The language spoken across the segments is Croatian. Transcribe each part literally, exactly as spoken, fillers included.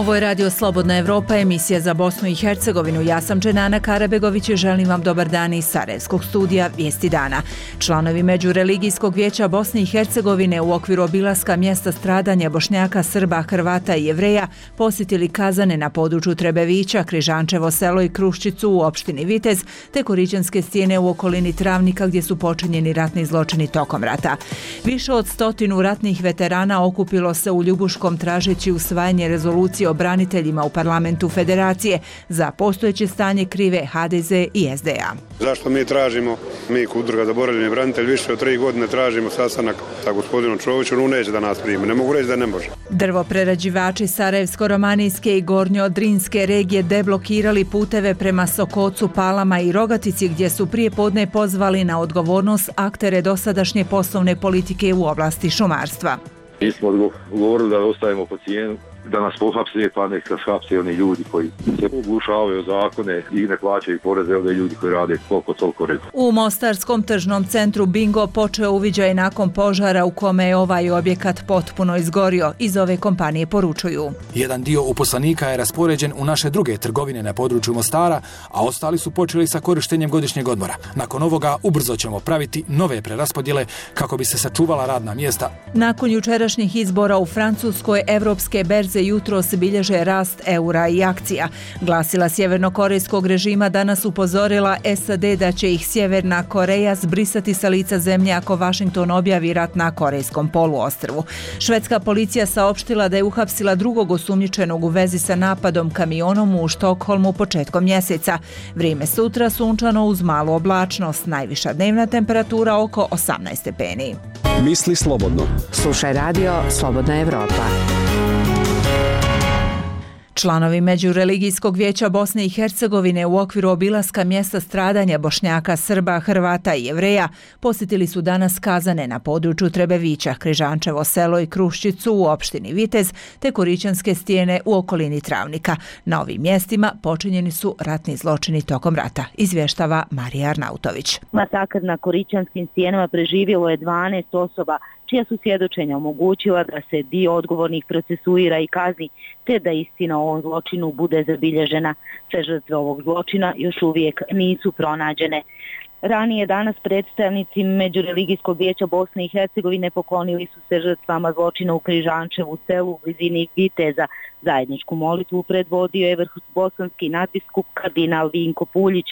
Ovo je Radio Slobodna Evropa, emisija za Bosnu i Hercegovinu. Ja sam Dženana Karabegović i želim vam dobar dan iz Sarajevskog studija Vijesti dana. Članovi Međureligijskog vijeća Bosne i Hercegovine u okviru obilaska mjesta stradanja Bošnjaka, Srba, Hrvata i Jevreja posjetili kazane na području Trebevića, Križančevo selo i Kruščicu u opštini Vitez, te Korićanske stijene u okolini Travnika gdje su počinjeni ratni zločini tokom rata. Više od stotinu ratnih veterana okupilo se u Ljubuškom tražeći usvajanje rezolucije o braniteljima u parlamentu Federacije. Za postojeće stanje krive ha de ze i es de a. Zašto mi tražimo, mi Udruga zaboravljeni branitelj, više od tri godine tražimo sastanak sa gospodinom Čovićem, on neće da nas primi, ne mogu reći da ne može. Drvoprerađivači Sarajevsko-romanijske i Gornjo-Drinske regije deblokirali puteve prema Sokocu, Palama i Rogatici gdje su prije podne pozvali na odgovornost aktere dosadašnje poslovne politike u oblasti šumarstva. Mi smo odgovorili da ostavimo po cijenu, da nas pohapse, pa nek nas hapse oni ljudi koji se oglušavaju zakone i ne plaćaju poreze, ovdje ljudi koji rade koliko toliko red. U Mostarskom tržnom centru Bingo počeo uviđaj nakon požara u kome je ovaj objekat potpuno izgorio. Iz ove kompanije poručuju. Jedan dio uposlenika je raspoređen u naše druge trgovine na području Mostara, a ostali su počeli sa korištenjem godišnjeg odmora. Nakon ovoga ubrzo ćemo praviti nove preraspodjele kako bi se sačuvala radna mjesta. Nakon jučerašnjih izbora u Francuskoj, evropske berze jutros bilježe rast eura i akcija. Glasila sjevernokorejskog režima danas upozorila es a de da će ih Sjeverna Koreja zbrisati sa lica zemlje ako Washington objavi rat na Korejskom poluostrvu. Švedska policija saopštila da je uhapsila drugog osumnjičenog u vezi sa napadom kamionom u Štokholmu početkom mjeseca. Vrijeme sutra sunčano uz malu oblačnost, najviša dnevna temperatura oko osamnaest stepeni. Misli slobodno. Slušaj Radio Slobodna Evropa. Članovi Međureligijskog vijeća Bosne i Hercegovine u okviru obilaska mjesta stradanja Bošnjaka, Srba, Hrvata i Jevreja posjetili su danas kazane na području Trebevića, Križančevo selo i Kruščicu u opštini Vitez, te Korićanske stijene u okolini Travnika. Na ovim mjestima počinjeni su ratni zločini tokom rata, izvještava Marija Arnautović. Masakr na Korićanskim stijenama preživjelo je dvanaest osoba, čija su svjedočenja omogućila da se dio odgovornih procesuira i kazni, te da istina o ovom zločinu bude zabilježena. Sve žrtve ovog zločina još uvijek nisu pronađene. Ranije danas predstavnici Međureligijskog vijeća Bosne i Hercegovine poklonili su se žrtvama zločina u Križančevu selu u blizini Viteza. Zajedničku molitvu predvodio je vrhbosanski nadbiskup kardinal Vinko Puljić.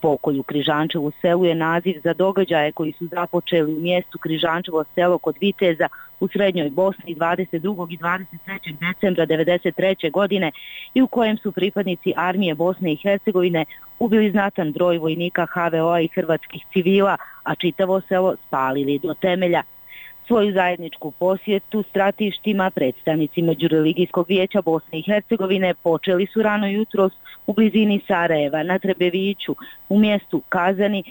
Pokolj u Križančevu selu je naziv za događaje koji su započeli u mjestu Križančevo selo kod Viteza u Srednjoj Bosni dvadeset drugog i dvadeset trećeg decembra devedeset treće godine i u kojem su pripadnici armije Bosne i Hercegovine ubili znatan broj vojnika ha ve o-a i hrvatskih civila, a čitavo selo spalili do temelja. Svoju zajedničku posjetu stratištima predstavnici Međureligijskog vijeća Bosne i Hercegovine počeli su rano jutros u blizini Sarajeva na Trebeviću u mjestu Kazani,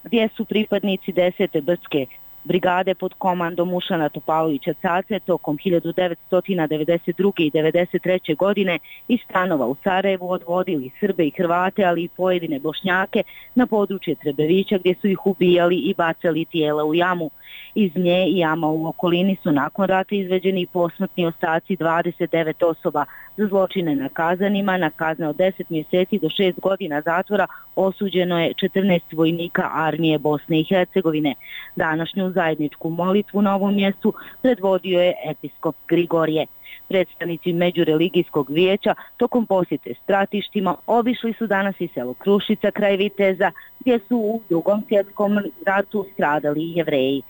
gdje su pripadnici desete brdske brigade pod komandom Ušana Topalovića Cace tokom hiljadu devetsto devedeset druge i devedeset treće godine iz stanova u Sarajevu odvodili Srbe i Hrvate, ali i pojedine Bošnjake na područje Trebevića gdje su ih ubijali i bacali tijela u jamu. Iz nje i jama u okolini su nakon rata izveđeni posmrtni ostaci dvadeset devet osoba. Za zločine na kazanima, na kazne od deset mjeseci do šest godina zatvora osuđeno je četrnaest vojnika armije Bosne i Hercegovine. Današnju zajedničku molitvu na ovom mjestu predvodio je episkop Grigorije. Predstavnici Međureligijskog vijeća tokom posjete stratištima obišli su danas i selo Krušica kraj Viteza, gdje su u Drugom svjetskom ratu stradali Jevreji.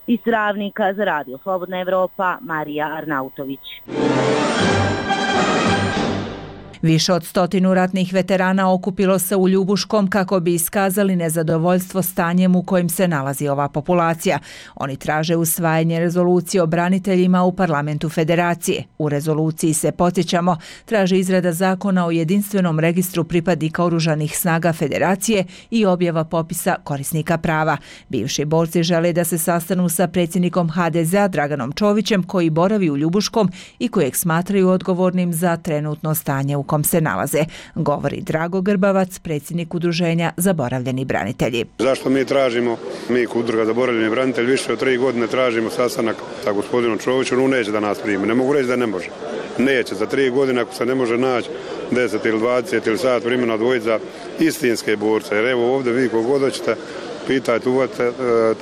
Iz Travnika za Radio Slobodna Evropa, Marija Arnautović. Više od stotinu ratnih veterana okupilo se u Ljubuškom kako bi iskazali nezadovoljstvo stanjem u kojem se nalazi ova populacija. Oni traže usvajanje rezolucije o braniteljima u parlamentu Federacije. U rezoluciji se, podsjećamo, traži izrada zakona o jedinstvenom registru pripadnika oružanih snaga Federacije i objava popisa korisnika prava. Bivši borci žele da se sastanu sa predsjednikom ha de ze-a Draganom Čovićem, koji boravi u Ljubuškom i kojeg smatraju odgovornim za trenutno stanje u kom se nalaze, govori Drago Grbavac, predsjednik udruženja Zaboravljeni branitelji. Zašto mi tražimo, mi Udruga Zaboravljeni branitelji, više od tri godine tražimo sastanak sa gospodinom Čovićem, on neće da nas primi, ne mogu reći da ne može. neće. Za tri godine ako se ne može naći deset ili dvadeset ili sat vremena odvojiti za istinske borce. Jer evo ovdje vi kogod hoćete, pitajte, uvate,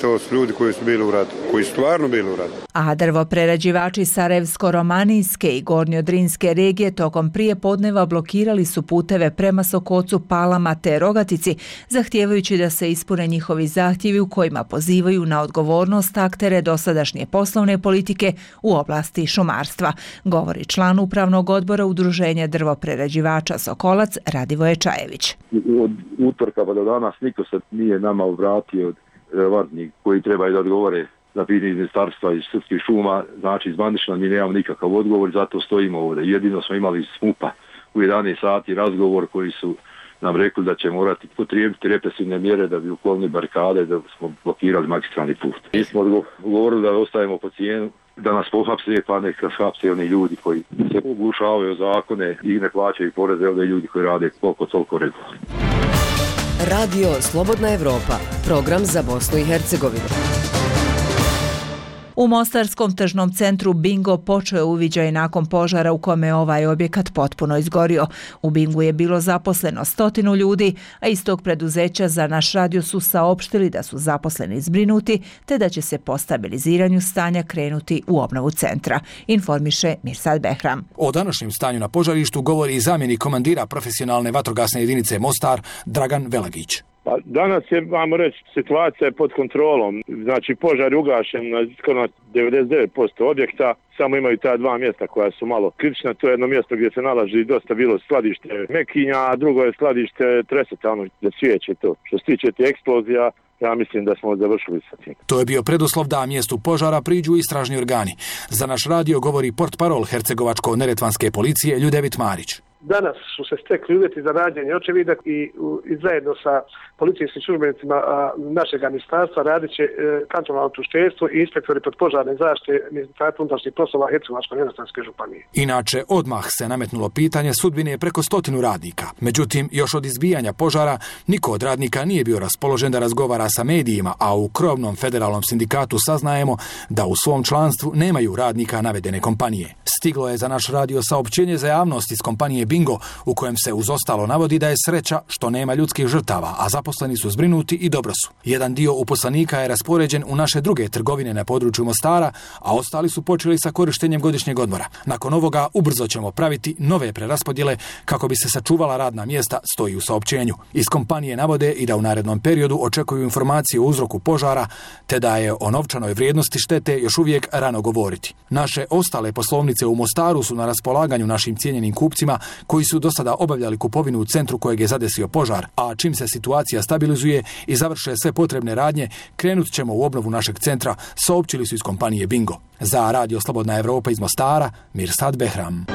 to su ljudi koji su bili u ratu, koji su stvarno bili u ratu. A drvoprerađivači Sarajevsko-romanijske i Gornjodrinske regije tokom prije podneva blokirali su puteve prema Sokocu, Palama te Rogatici, zahtijevajući da se ispune njihovi zahtjevi u kojima pozivaju na odgovornost aktere dosadašnje poslovne politike u oblasti šumarstva, govori član upravnog odbora Udruženja drvoprerađivača Sokolac Radivoje Čajević. Od utorka pa do danas niko se nije nama vratio od relevantnih koji trebaju da odgovore za pitanje ministarstva iz srpskih šuma, znači iz Bandišna mi nemamo nikakav odgovor, zato stojimo ovdje. Jedino smo imali iz S M U P-a u jedanaest sati razgovor koji su nam rekli da će morati potrijebiti represivne mjere da bi uklonili barikade, da smo blokirali magistralni put. Mi smo odgovorili da ostajemo po cijenu, da nas pohapse, pa nek nas hapse oni ljudi koji se oglušavaju zakone i ne plaćaju poreze, ovdje ljudi koji rade koliko toliko regularno. Radio Slobodna Evropa, program za Bosnu i Hercegovinu. U mostarskom tržnom centru Bingo počeo je uviđaj nakon požara u kome je ovaj objekat potpuno izgorio. U Bingu je bilo zaposleno stotinu ljudi, a iz tog preduzeća za naš radio su saopštili da su zaposleni zbrinuti, te da će se po stabiliziranju stanja krenuti u obnovu centra, informiše Mirsad Behram. O današnjem stanju na požarištu govori i zamjenik komandira profesionalne vatrogasne jedinice Mostar, Dragan Velagić. Pa danas je, vamo reći, situacija je pod kontrolom. Znači, požar je ugašen na skoro devedeset devet posto objekta. Samo imaju ta dva mjesta koja su malo kritična. To je jedno mjesto gdje se nalazi dosta bilo skladište mekinja, a drugo je skladište treseta, ono gdje cvijeće to. Što se tiče te eksplozija, ja mislim da smo završili sa tim. To je bio preduslov da mjestu požara priđu istražni organi. Za naš radio govori portparol Hercegovačko-neretvanske policije Ljudevit Marić. Danas su se stekli uvjeti za rađenje očevidak i, i zajedno sa policijskim službenicima našeg ministarstva radit će e, kantonalno tužiteljstvo i inspektori podpožarne zaštite Ministarstva unutrašnjih poslova Hercegovačko-neretvanske županije. Inače, odmah se nametnulo pitanje sudbine preko stotinu radnika. Međutim, još od izbijanja požara niko od radnika nije bio raspoložen da razgovara sa medijima, a u krovnom federalnom sindikatu saznajemo da u svom članstvu nemaju radnika navedene kompanije. Stiglo je za naš radio saopćenje za javnost iz kompanije Bingo, u kojem se uz ostalo navodi da je sreća što nema ljudskih žrtava, a zaposleni su zbrinuti i dobro su. Jedan dio uposlenika je raspoređen u naše druge trgovine na području Mostara, a ostali su počeli sa korištenjem godišnjeg odmora. Nakon ovoga ubrzo ćemo praviti nove preraspodjele kako bi se sačuvala radna mjesta, stoji u saopćenju. Iz kompanije navode i da u narednom periodu očekuju informacije o uzroku požara, te da je o novčanoj vrijednosti štete još uvijek rano govoriti. Naše ostale poslovnice u Mostaru su na raspolaganju našim cijenjenim kupcima koji su do sada obavljali kupovinu u centru kojeg je zadesio požar, a čim se situacija stabilizuje i završe sve potrebne radnje, krenut ćemo u obnovu našeg centra, saopćili su iz kompanije Bingo. Za Radio Slobodna Evropa iz Mostara, Mirsad Behram.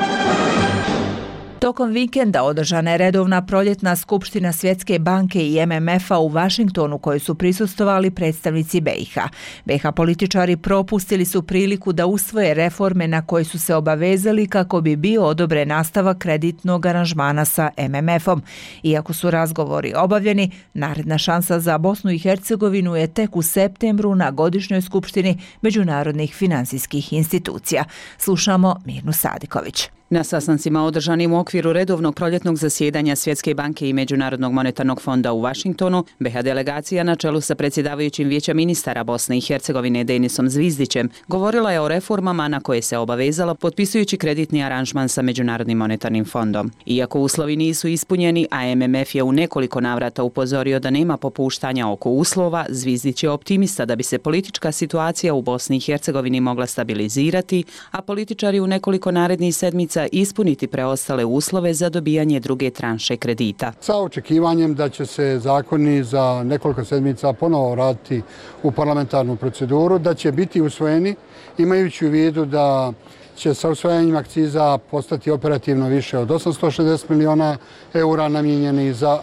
Tokom vikenda održana je redovna proljetna skupština Svjetske banke i M M F-a u Vašingtonu kojoj su prisustvovali predstavnici B i H. B i H političari propustili su priliku da usvoje reforme na koje su se obavezali kako bi bio odobren nastavak kreditnog aranžmana sa M M F-om. Iako su razgovori obavljeni, naredna šansa za Bosnu i Hercegovinu je tek u septembru na godišnjoj skupštini međunarodnih finansijskih institucija. Slušamo Mirnu Sadiković. Na sastancima održanim u okviru redovnog proljetnog zasjedanja Svjetske banke i Međunarodnog monetarnog fonda u Vašingtonu, B i H delegacija na čelu sa predsjedavajućim Vijeća ministara Bosne i Hercegovine Denisom Zvizdićem govorila je o reformama na koje se obavezala potpisujući kreditni aranžman sa Međunarodnim monetarnim fondom. Iako uslovi nisu ispunjeni, a M M F je u nekoliko navrata upozorio da nema popuštanja oko uslova, Zvizdić je optimista da bi se politička situacija u Bosni i Hercegovini mogla stabilizirati, a političari u nekoliko narednih sedmica ispuniti preostale uslove za dobijanje druge tranše kredita. Sa očekivanjem da će se zakoni za nekoliko sedmica ponovo vratiti u parlamentarnu proceduru, da će biti usvojeni, imajući u vidu da će sa usvajanjem akciza postati operativno više od osamsto šezdeset miliona eura namijenjeni za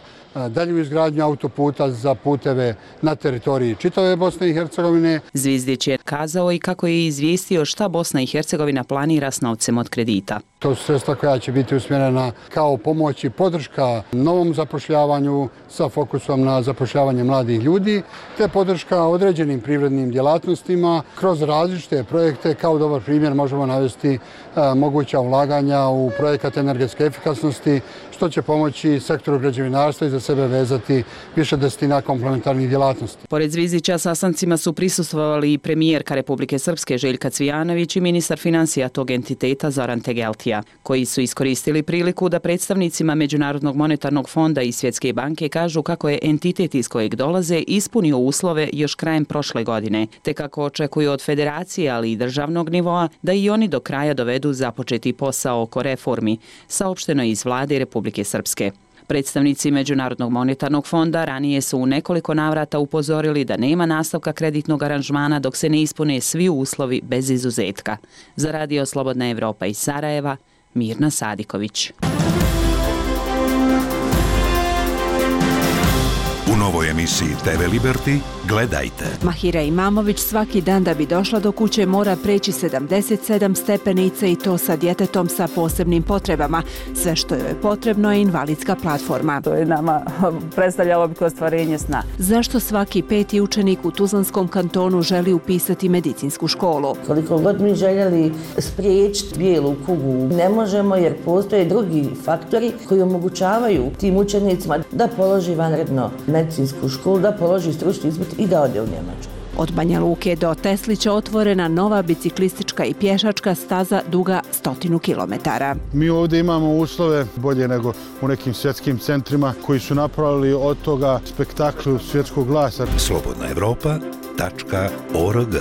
dalju izgradnju autoputa za puteve na teritoriji čitave Bosne i Hercegovine. Zvizdić je kazao i kako je izvijestio šta Bosna i Hercegovina planira s novcem od kredita. To su sredstva koja će biti usmjerena kao pomoć i podrška novom zapošljavanju sa fokusom na zapošljavanje mladih ljudi, te podrška određenim privrednim djelatnostima kroz različite projekte. Kao dobar primjer možemo navesti a, moguća ulaganja u projekat energetske efikasnosti, što će pomoći sektoru građevinarstva i za sebe vezati više desetina komplementarnih djelatnosti. Pored Zvizdića sastancima su prisustvovali i premijerka Republike Srpske Željka Cvijanović i ministar financija tog entiteta Zoran Tegeltija, koji su iskoristili priliku da predstavnicima Međunarodnog monetarnog fonda i Svjetske banke kažu kako je entitet iz kojeg dolaze ispunio uslove još krajem prošle godine, te kako očekuju od federacije, ali i državnog nivoa, da i oni do kraja dovedu započeti posao oko reformi, saopšteno iz vlade Republike Srpske. Predstavnici Međunarodnog monetarnog fonda ranije su u nekoliko navrata upozorili da nema nastavka kreditnog aranžmana dok se ne ispune svi uslovi bez izuzetka. Za Radio Slobodna Evropa iz Sarajeva, Mirna Sadiković. U novoj emisiji te ve Liberty gledajte. Mahira Imamović svaki dan da bi došla do kuće mora preći sedamdeset sedam stepenica i to sa djetetom sa posebnim potrebama. Sve što joj je potrebno je invalidska platforma. To je nama predstavljalo bi kao ostvarenje sna. Zašto svaki peti učenik u Tuzlanskom kantonu želi upisati medicinsku školu? Koliko god mi željeli spriječiti bijelu kugu, ne možemo jer postoje drugi faktori koji omogućavaju tim učenicima da položi vanredno medicinsku školu, da položi stručni ispit i da ode u Njemačku. Od Banja Luke do Teslića otvorena nova biciklistička i pješačka staza duga stotinu kilometara. Mi ovdje imamo uslove bolje nego u nekim svjetskim centrima koji su napravili od toga spektaklu svjetskog glasa. slobodna evropa tačka org.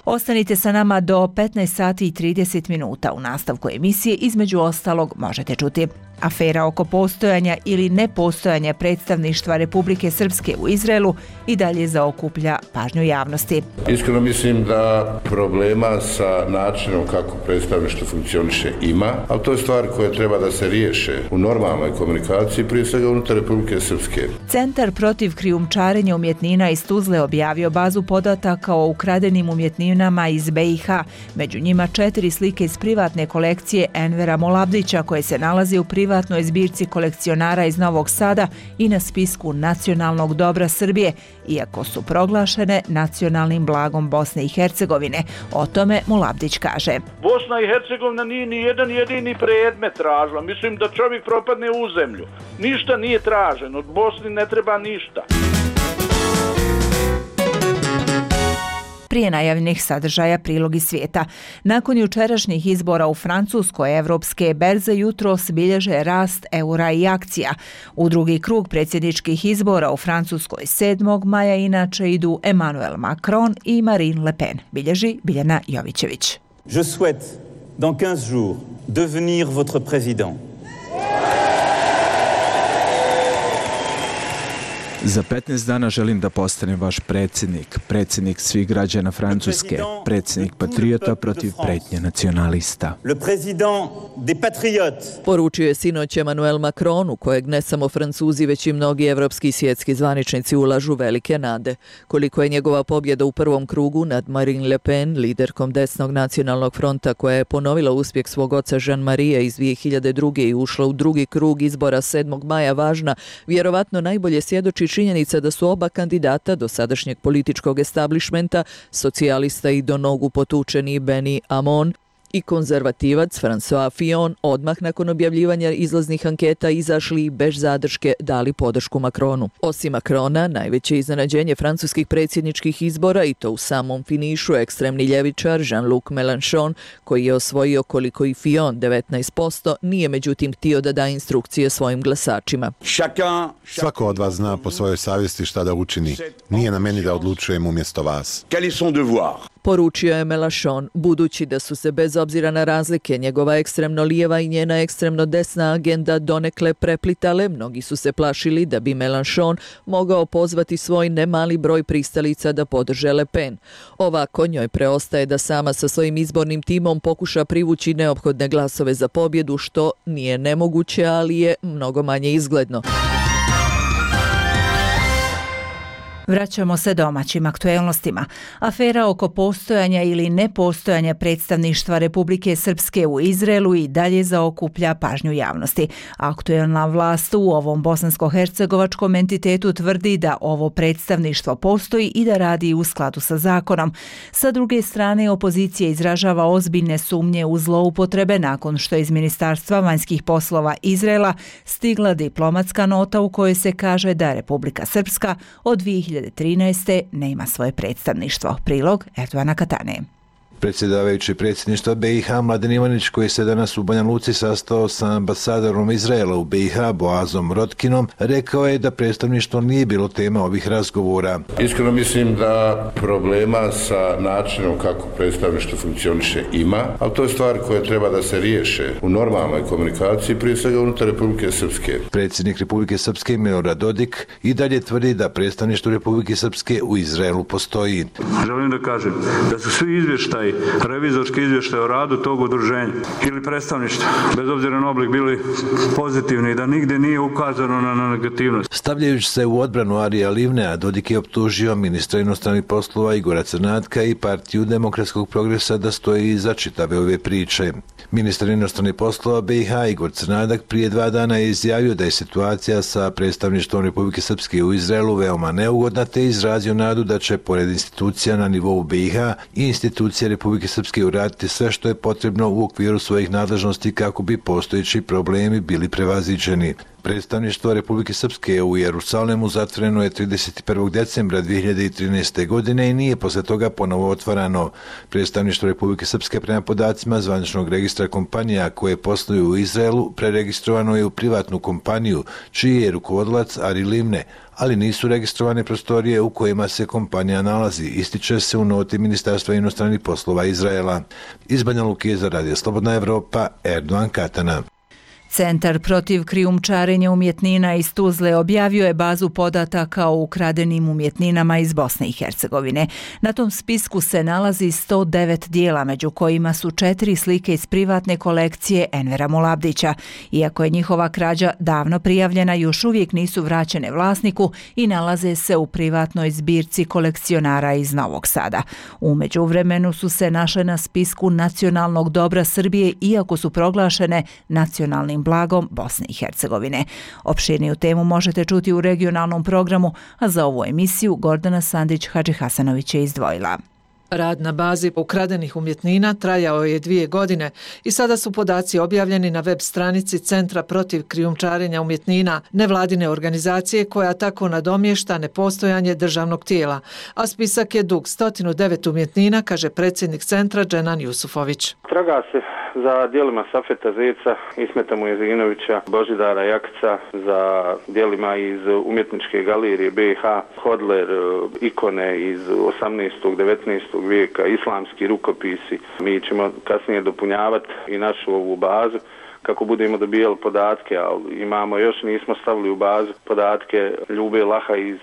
Ostanite sa nama do petnaest sati i trideset minuta. U nastavku emisije između ostalog možete čuti: afera oko postojanja ili nepostojanja predstavništva Republike Srpske u Izraelu i dalje zaokuplja pažnju javnosti. Iskreno mislim da problema sa načinom kako predstavništvo funkcioniše ima, ali to je stvar koja treba da se riješe u normalnoj komunikaciji, prije svega unutar Republike Srpske. Centar protiv krijumčarenja umjetnina iz Tuzle objavio bazu podataka o ukradenim umjetninama iz be i ha, među njima četiri slike iz privatne kolekcije Envera Molabdića koje se nalazi u privatnoj privatnoj zbirci kolekcionara iz Novog Sada i na spisku nacionalnog dobra Srbije, iako su proglašene nacionalnim blagom Bosne i Hercegovine. O tome Molabdić kaže: Bosna i Hercegovina nije ni jedan jedini predmet tražila. Mislim da čovjek propadne u zemlju. Ništa nije traženo. Od Bosni ne treba ništa. Prije najavljenih sadržaja prilog iz svijeta. Nakon jučerašnjih izbora u Francuskoj, evropske berze jutros bilježe rast eura i akcija. U drugi krug predsjedničkih izbora u Francuskoj sedmog maja inače idu Emmanuel Macron i Marine Le Pen, bilježi Biljana Jovićević. Je souhaite dans quinze jours devenir votre président. Za petnaest dana želim da postanem vaš predsjednik, predsjednik svih građana Francuske, predsjednik patriota protiv pretnje nacionalista. Le président des patriotes. Poručio je sinoć Emmanuel Macron, u kojeg ne samo Francuzi, već i mnogi evropski i svjetski zvaničnici ulažu velike nade. Koliko je njegova pobjeda u prvom krugu nad Marine Le Pen, liderkom desnog nacionalnog fronta koja je ponovila uspjeh svog oca Jean-Marie iz dvije hiljade druge i ušla u drugi krug izbora sedmog maja važna, vjerovatno najbolje svjedoči činjenica da su oba kandidata do sadašnjeg političkog establishmenta, socijalista i do nogu potučeni Benny Hamon i konzervativac François Fillon, odmah nakon objavljivanja izlaznih anketa izašli i bez zadrške dali podršku Macronu. Osim Macrona, najveće iznenađenje francuskih predsjedničkih izbora, i to u samom finišu, ekstremni ljevičar Jean-Luc Mélenchon, koji je osvojio koliko i Fillon devetnaest posto, nije međutim htio da da instrukcije svojim glasačima. Svako od vas zna po svojoj savjesti šta da učini. Nije na meni da odlučujem umjesto vas. Poručio je Mélenchon, budući da su se bez obzira na razlike njegova ekstremno lijeva i njena ekstremno desna agenda donekle preplitale, mnogi su se plašili da bi Mélenchon mogao pozvati svoj nemali broj pristalica da podrže Le Pen. Ovako njoj preostaje da sama sa svojim izbornim timom pokuša privući neophodne glasove za pobjedu, što nije nemoguće, ali je mnogo manje izgledno. Vraćamo se domaćim aktuelnostima. Afera oko postojanja ili nepostojanja predstavništva Republike Srpske u Izraelu i dalje zaokuplja pažnju javnosti. Aktuelna vlast u ovom bosansko-hercegovačkom entitetu tvrdi da ovo predstavništvo postoji i da radi u skladu sa zakonom. Sa druge strane, opozicija izražava ozbiljne sumnje u zloupotrebe nakon što iz Ministarstva vanjskih poslova Izraela stigla diplomatska nota u kojoj se kaže da Republika Srpska od dvije hiljade trinaeste nema svoje predstavništvo. Prilog Erdovana Katane. Predsjedavajući predsjedništva B i H Mladen Ivanić, koji se danas u Banja Luci sastao sa ambasadorom Izraela u B i H Boazom Rotkinom, rekao je da predstavništvo nije bilo tema ovih razgovora. Iskreno mislim da problema sa načinom kako predstavništvo funkcioniše ima, ali to je stvar koja treba da se riješe u normalnoj komunikaciji, prije svega unutar Republike Srpske. Predsjednik Republike Srpske Milorad Dodik i dalje tvrdi da predstavništvo Republike Srpske u Izraelu postoji. Želim da kažem da su svi izvještaji, revizorski izvještaj o radu tog udruženja ili predstavništva, bez obzira na oblik, bili pozitivni i da nigdje nije ukazano na negativnost. Stavljajući se u odbranu Arija Livnea, Dodik je optužio ministra inostranih poslova Igora Crnatka i partiju Demokratskog progresa da stoji iza čitave ove priče. Ministar inostranih poslova B i H Igor Crnadak prije dva dana je izjavio da je situacija sa predstavništvom Republike Srpske u Izraelu veoma neugodna, te izrazio nadu da će pored institucija na nivou B i H i institucije Republike Srpske uraditi sve što je potrebno u okviru svojih nadležnosti kako bi postojeći problemi bili prevaziđeni. Predstavništvo Republike Srpske u Jerusalemu zatvoreno je trideset prvog decembra dvije hiljade trinaeste. godine i nije posle toga ponovo otvarano. Predstavništvo Republike Srpske prema podacima zvaničnog registra kompanija koje posluju u Izraelu preregistrovano je u privatnu kompaniju čiji je rukovodilac Ari Livne, ali nisu registrovane prostorije u kojima se kompanija nalazi, ističe se u noti Ministarstva inostranih poslova Izraela. Iz Banja Luke za Radio Slobodna Evropa, Erdovan Katana. Centar protiv krijumčarenja umjetnina iz Tuzle objavio je bazu podataka o ukradenim umjetninama iz Bosne i Hercegovine. Na tom spisku se nalazi sto devet dijela, među kojima su četiri slike iz privatne kolekcije Envera Mulabdića. Iako je njihova krađa davno prijavljena, još uvijek nisu vraćene vlasniku i nalaze se u privatnoj zbirci kolekcionara iz Novog Sada. U međuvremenu su se našle na spisku nacionalnog dobra Srbije, iako su proglašene nacionalnim blagom Bosne i Hercegovine. Opširniju temu možete čuti u regionalnom programu, a za ovu emisiju Gordana Sandić-Hadžihasanović je izdvojila. Rad na bazi ukradenih umjetnina trajao je dvije godine i sada su podaci objavljeni na web stranici Centra protiv krijumčarenja umjetnina, nevladine organizacije koja tako nadomješta nepostojanje državnog tijela, a spisak je dug sto devet umjetnina, kaže predsjednik centra Dženan Jusufović. Traga se za dijelima Safeta Zeca, Ismeta Mujezinovića, Božidara Jakca, za dijelima iz umjetničke galerije B i H, Hodler, ikone iz osamnaestog devetnaestog vijeka, islamski rukopisi. Mi ćemo kasnije dopunjavati i našu ovu bazu kako budemo dobijali podatke, ali imamo još, nismo stavili u bazu podatke Ljube Laha iz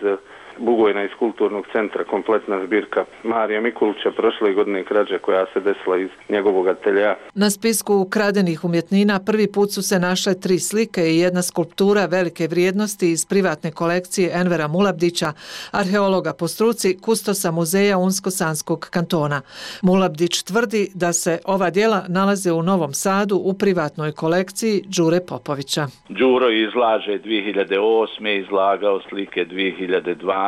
Bugojna iz kulturnog centra, kompletna zbirka Marija Mikulića prošle godine krađe koja se desila iz njegovog ateljea. Na spisku ukradenih umjetnina prvi put su se našle tri slike i jedna skulptura velike vrijednosti iz privatne kolekcije Envera Mulabdića, arheologa po struci, kustosa muzeja Unsko-Sanskog kantona. Mulabdić tvrdi da se ova djela nalaze u Novom Sadu u privatnoj kolekciji Đure Popovića. Đuro izlaže dvije hiljade osme. izlagao slike dvije hiljade dvanaeste.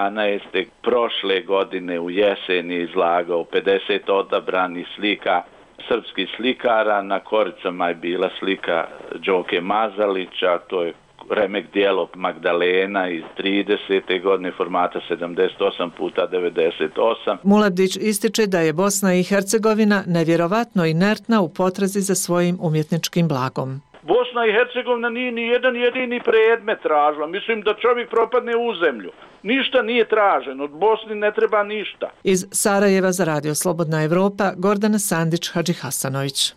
Prošle godine u jesen je izlagao pedeset odabranih slika srpskih slikara. Na koricama je bila slika Đoke Mazalića, to je remek dijelo Magdalena iz tridesete godine formata sedamdeset osam puta devedeset osam. Mulabdić ističe da je Bosna i Hercegovina nevjerovatno inertna u potrazi za svojim umjetničkim blagom. Bosna i Hercegovina nije ni jedan jedini predmet tražila. Mislim da čovjek propadne u zemlju. Ništa nije traženo, od Bosni ne treba ništa. Iz Sarajeva za Radio Slobodna Evropa, Gordana Sandić-Hadžihasanović.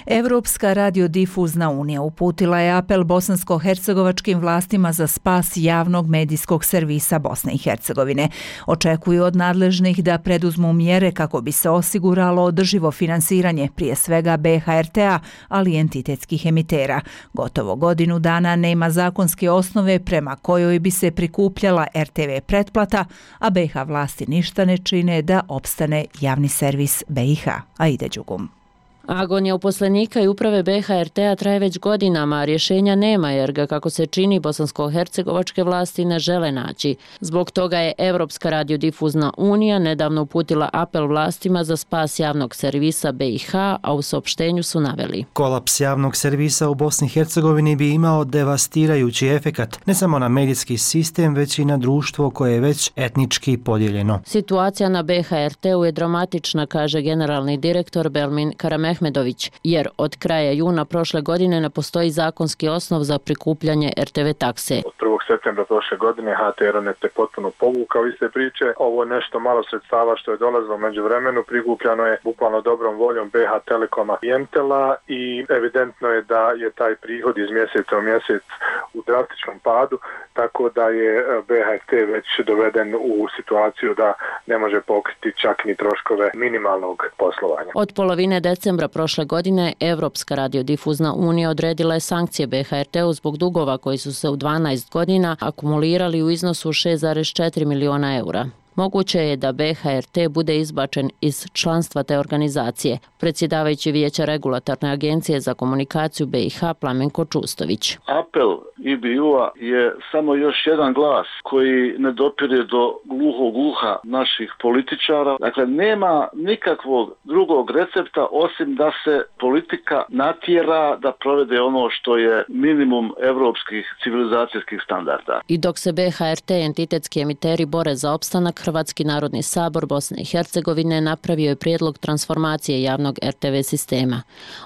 Evropska radiodifuzna unija uputila je apel bosansko-hercegovačkim vlastima za spas javnog medijskog servisa Bosne i Hercegovine. Očekuju od nadležnih da preduzmu mjere kako bi se osiguralo održivo finansiranje, prije svega B H R T-a, ali i entitetskih emitera. operatera. Gotovo godinu dana nema zakonske osnove prema kojoj bi se prikupljala er te ve pretplata, a be i ha vlasti ništa ne čine da opstane javni servis be i ha. Aida Đugum. Agonija uposlenika i uprave be ha er te-a traje već godinama, a rješenja nema jer ga, kako se čini, bosansko-hercegovačke vlasti ne žele naći. Zbog toga je Evropska radiodifuzna unija nedavno uputila apel vlastima za spas javnog servisa be i ha, a u saopštenju su naveli: kolaps javnog servisa u Bosni i Hercegovini bi imao devastirajući efekat ne samo na medijski sistem, već i na društvo koje je već etnički podijeljeno. Situacija na be ha er te-u je dramatična, kaže generalni direktor Belmin Karameh Ahmedović, jer od kraja juna prošle godine ne postoji zakonski osnov za prikupljanje er te ve takse. Od prvog septembra prošle godine ha te er net je potpuno povukao iz te priče. Ovo je nešto malo sredstava što je dolazilo među vremenu, prikupljano je bukvalno dobrom voljom be ha Telekoma i Entela i evidentno je da je taj prihod iz mjeseca u mjesec u drastičnom padu, tako da je be ha er te već doveden u situaciju da ne može pokriti čak ni troškove minimalnog poslovanja. Od polovine decembra prošle godine Evropska radiodifuzna unija odredila je sankcije be ha er te-u zbog dugova koji su se u dvanaest godina akumulirali u iznosu šest zarez četiri miliona eura. Moguće je da be ha er te bude izbačen iz članstva te organizacije. Predsjedavajući Vijeća regulatorne agencije za komunikaciju be i ha Plamenko Čustović. Apel i be u-a je samo još jedan glas koji ne dopire do gluhog uha naših političara. Dakle, nema nikakvog drugog recepta osim da se politika natjera da provede ono što je minimum evropskih civilizacijskih standarda. I dok se be ha er te entitetski emiteri bore za opstanak, Hrvatski narodni sabor Bosne i Hercegovine napravio je prijedlog transformacije javnog er te ve sistema.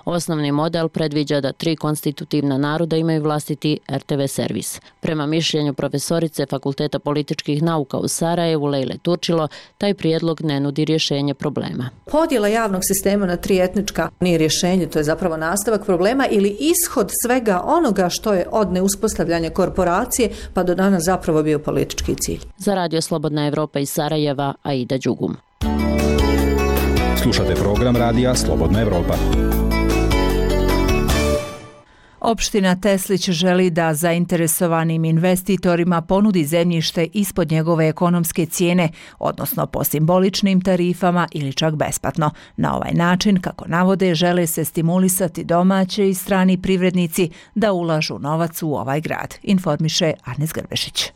Osnovni model predviđa da tri konstitutivna naroda imaju vlastiti er te ve servis. Prema mišljenju profesorice Fakulteta političkih nauka u Sarajevu Lejle Turčilo, taj prijedlog ne nudi rješenje problema. Podjela javnog sistema na tri etnička nije rješenje, to je zapravo nastavak problema ili ishod svega onoga što je od neuspostavljanja korporacije pa do danas zapravo bio politički cilj. Za Radio Slobodna Evropa iz Sarajeva, Aida Đugum. Slušate program Radija Slobodna Evropa. Opština Teslić želi da zainteresovanim investitorima ponudi zemljište ispod njegove ekonomske cijene, odnosno po simboličnim tarifama ili čak besplatno. Na ovaj način, kako navode, žele se stimulisati domaće i strani privrednici da ulažu novac u ovaj grad, informiše Arnes Grbešić.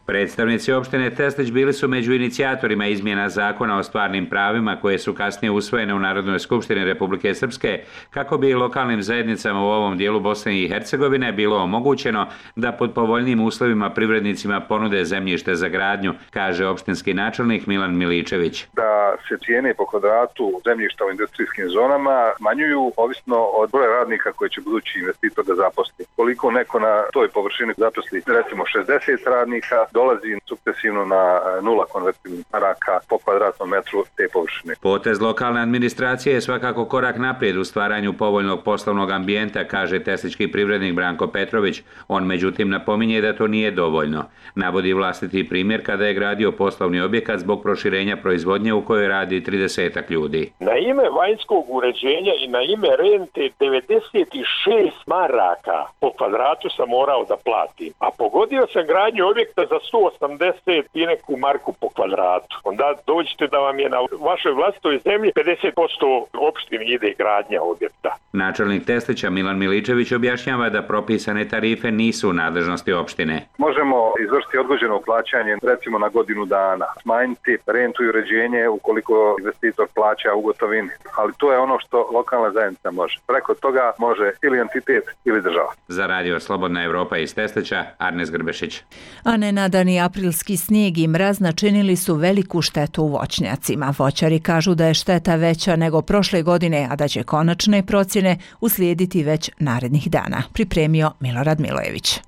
Predstavnici opštine Teslić bili su među inicijatorima izmjena zakona o stvarnim pravima koje su kasnije usvojene u Narodnoj skupštini Republike Srpske kako bi lokalnim zajednicama u ovom dijelu Bosne i Hercegovine bilo omogućeno da pod povoljnim uslovima privrednicima ponude zemljište za gradnju, kaže opštinski načelnik Milan Miličević. Da se cijene po kvadratu zemljišta u industrijskim zonama smanjuju ovisno od broja radnika koje će budući investitor da zaposli. Koliko neko na toj površini zaposli recimo šezdeset radnika, dolazi sukcesivno na nula konvertibilnih maraka po kvadratnom metru te površine. Potez lokalne administracije je svakako korak naprijed u stvaranju povoljnog poslovnog ambijenta, kaže teslički privrednik Branko Petrović. On međutim napominje da to nije dovoljno. Navodi vlastiti primjer kada je gradio poslovni objekat zbog proširenja proizvodnje u kojoj radi tridesetak ljudi. Na ime vanjskog uređenja i na ime rente devedeset šest maraka po kvadratu sam morao da platim, a pogodio sam gradnju objekta za sto osamdeset i neku marku po kvadratu. Onda dođete da vam je na vašoj vlastitoj zemlji pedeset posto opštini ide gradnja objekta. Načelnik Teslića Milan Miličević objašnjava da propisane tarife nisu u nadležnosti opštine. Možemo izvršiti odgođeno plaćanje recimo na godinu dana, smanjiti rentu i uređenje ukoliko investitor plaća u gotovini, ali to je ono što lokalna zajednica može. Preko toga može ili entitet ili država. Za Radio Slobodna Evropa iz Teslića, Arnes Grbešić. A nenadani aprilski snijeg i mraz načinili su veliku štetu u voćnjacima. Voćari kažu da je šteta veća nego prošle godine, a da će konačne procjene uslijediti već narednih dana, pripremio Milorad Milojević.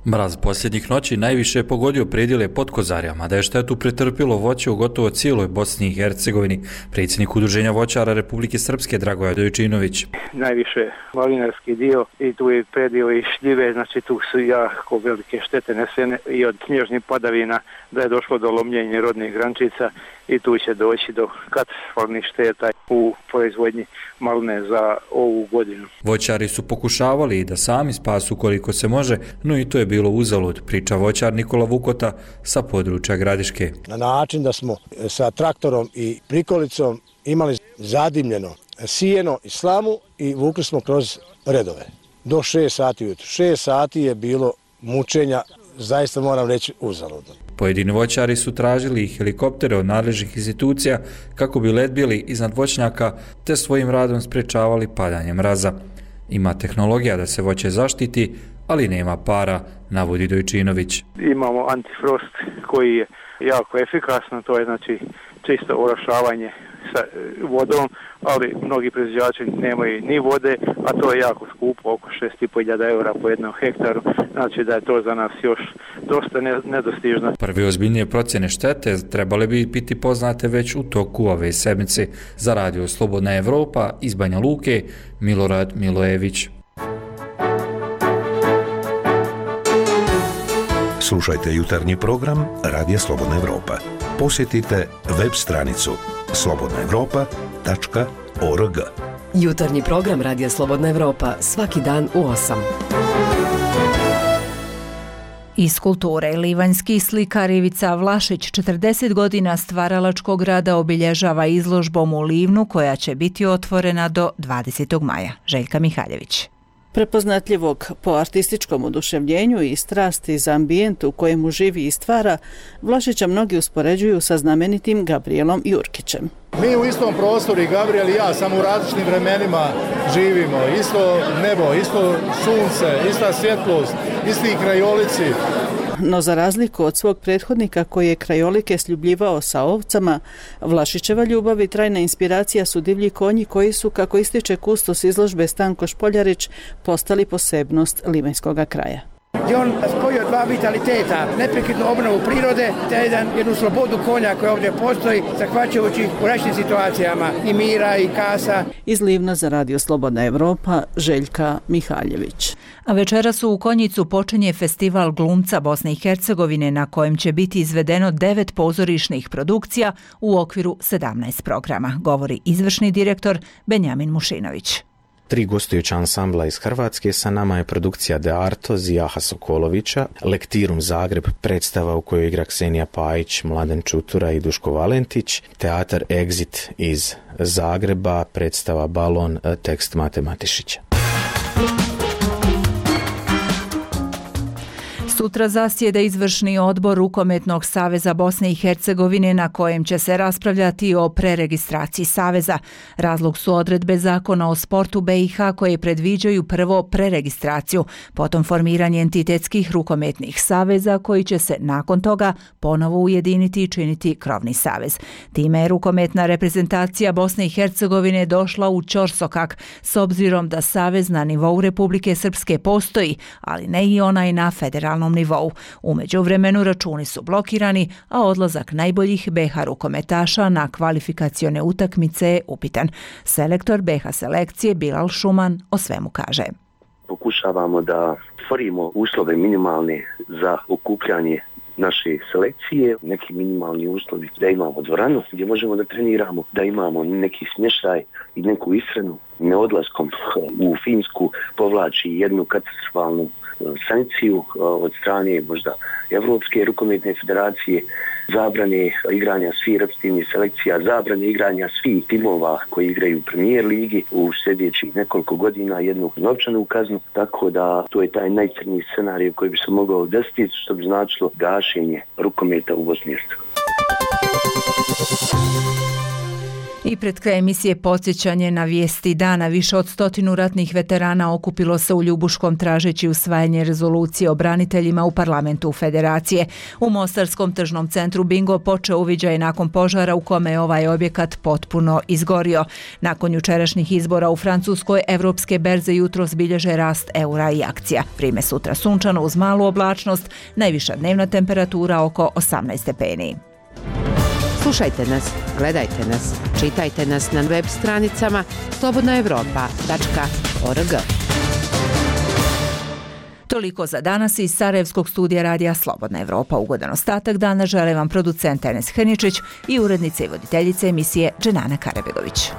Mraz posljednjih noći najviše je pogodio predjele pod Kozarjama, da je štetu pretrpilo voće u gotovo cijeloj Bosni i Hercegovini. Predsjednik Udruženja voćara Republike Srpske Dragoje Dojčinović. Najviše malinarski dio i tu je predio i šljive, znači tu su jako velike štete nesene i od snježnih padavina da je došlo do lomljenja rodnih grančica i tu će doći do katastrofalnih šteta u proizvodnji maline za ovu godinu. Voćari su pokušavali da sami spasu koliko se može, no i to je bilo uzalud, priča voćar Nikola Vukota sa područja Gradiške. Na način da smo sa traktorom i prikolicom imali zadimljeno sijeno i slamu i vukli smo kroz redove do šest sati ujutro. šest sati je bilo mučenja, zaista moram reći uzaludno. Pojedini voćari su tražili helikoptere od nadležnih institucija kako bi letbili iznad voćnjaka te svojim radom sprečavali padanje mraza. Ima tehnologija da se voće zaštiti, ali nema para, navodi Dojčinović. Imamo antifrost koji je jako efikasno, to je znači čisto orošavanje sa vodom, ali mnogi proizvođači nemaju ni vode, a to je jako skupo, oko šest i pol hiljada eura po jednom hektaru, znači da je to za nas još dosta nedostižno. Prve ozbiljnije procjene štete trebale bi biti poznate već u toku ove sedmice. Za Radio Slobodna Evropa iz Banja Luke, Milorad Milojević. Slušajte jutarnji program Radija Slobodna Evropa. Posjetite web stranicu slobodna evropa tačka org. Jutarnji program Radija Slobodna Evropa svaki dan u osam. Iz kulture, livanjski slikar Ivica Vlašić četrdeset godina stvaralačkog rada obilježava izložbom u Livnu koja će biti otvorena do dvadesetog maja. Željka Mihaljević. Prepoznatljivog po artističkom oduševljenju i strasti za ambijent u kojemu živi i stvara, Vlašića mnogi uspoređuju sa znamenitim Gabrijelom Jurkićem. Mi u istom prostoru, i Gabriel i ja, samo u različitim vremenima živimo. Isto nebo, isto sunce, ista svjetlost, isti krajolici. No za razliku od svog prethodnika koji je krajolike sljubljivao sa ovcama, Vlašićeva ljubav i trajna inspiracija su divlji konji koji su, kako ističe kustos izložbe Stanko Špoljarić, postali posebnost livanjskog kraja. I on spojio dva vitaliteta, neprekidnu obnovu prirode te jedan, jednu slobodu konja koja ovdje postoji, zahvaćajući u različitim situacijama i mira i kasa. Iz Livna za Radio Slobodna Evropa, Željka Mihaljević. A večeras u Konjicu počinje festival glumca Bosne i Hercegovine na kojem će biti izvedeno devet pozorišnih produkcija u okviru sedamnaest programa, govori izvršni direktor Benjamin Mušinović. Tri gostujuća ansambla iz Hrvatske, sa nama je produkcija De Arto Zijaha Sokolovića, Lektirum Zagreb, predstava u kojoj igra Ksenija Pajić, Mladen Čutura i Duško Valentić, Teatar Exit iz Zagreba, predstava Balon, tekst Mate Matišića. Sutra zasjeda izvršni odbor Rukometnog saveza Bosne i Hercegovine na kojem će se raspravljati o preregistraciji saveza. Razlog su odredbe zakona o sportu B i H koje predviđaju prvo preregistraciju, potom formiranje entitetskih rukometnih saveza koji će se nakon toga ponovo ujediniti i činiti krovni savez. Time je rukometna reprezentacija Bosne i Hercegovine došla u ćorsokak s obzirom da savez na nivou Republike Srpske postoji, ali ne i onaj na federalnom nivou. U međuvremenu računi su blokirani, a odlazak najboljih B i H rukometaša na kvalifikacione utakmice je upitan. Selektor B i H selekcije Bilal Šuman o svemu kaže. Pokušavamo da stvorimo uslove minimalne za okupljanje naše selekcije, neki minimalni uslovi da imamo dvoranu gdje možemo da treniramo, da imamo neki smještaj i neku ishranu. Neodlaskom u Finsku povlači jednu katastrofalnu sankciju od strane možda Evropske rukometne federacije, zabrane igranja svih reprezentativnih selekcija, zabrane igranja svih timova koji igraju u Premier ligi u sljedećih nekoliko godina, jednu novčanu kaznu, tako da to je taj najcrniji scenarij koji bi se mogao desiti, što bi značilo gašenje rukometa u Bosni i Hercegovini. I pred kraj emisije podsjećanje na vijesti dana. Više od stotinu ratnih veterana okupilo se u Ljubuškom tražeći usvajanje rezolucije o braniteljima u parlamentu Federacije. U Mostarskom tržnom centru Bingo počeo uviđaj nakon požara u kome je ovaj objekat potpuno izgorio. Nakon jučerašnjih izbora u Francuskoj, evropske berze jutros bilježe rast eura i akcija. Vrime sutra sunčano uz malu oblačnost, najviša dnevna temperatura oko osamnaest stepeni. Slušajte nas, gledajte nas, čitajte nas na web stranicama slobodna europa tačka org. Toliko za danas iz Sarajevskog studija radija Slobodna Evropa. Ugodan ostatak dana žele vam producent Enes Hrničić i urednica i voditeljica emisije Dženana Karabegović.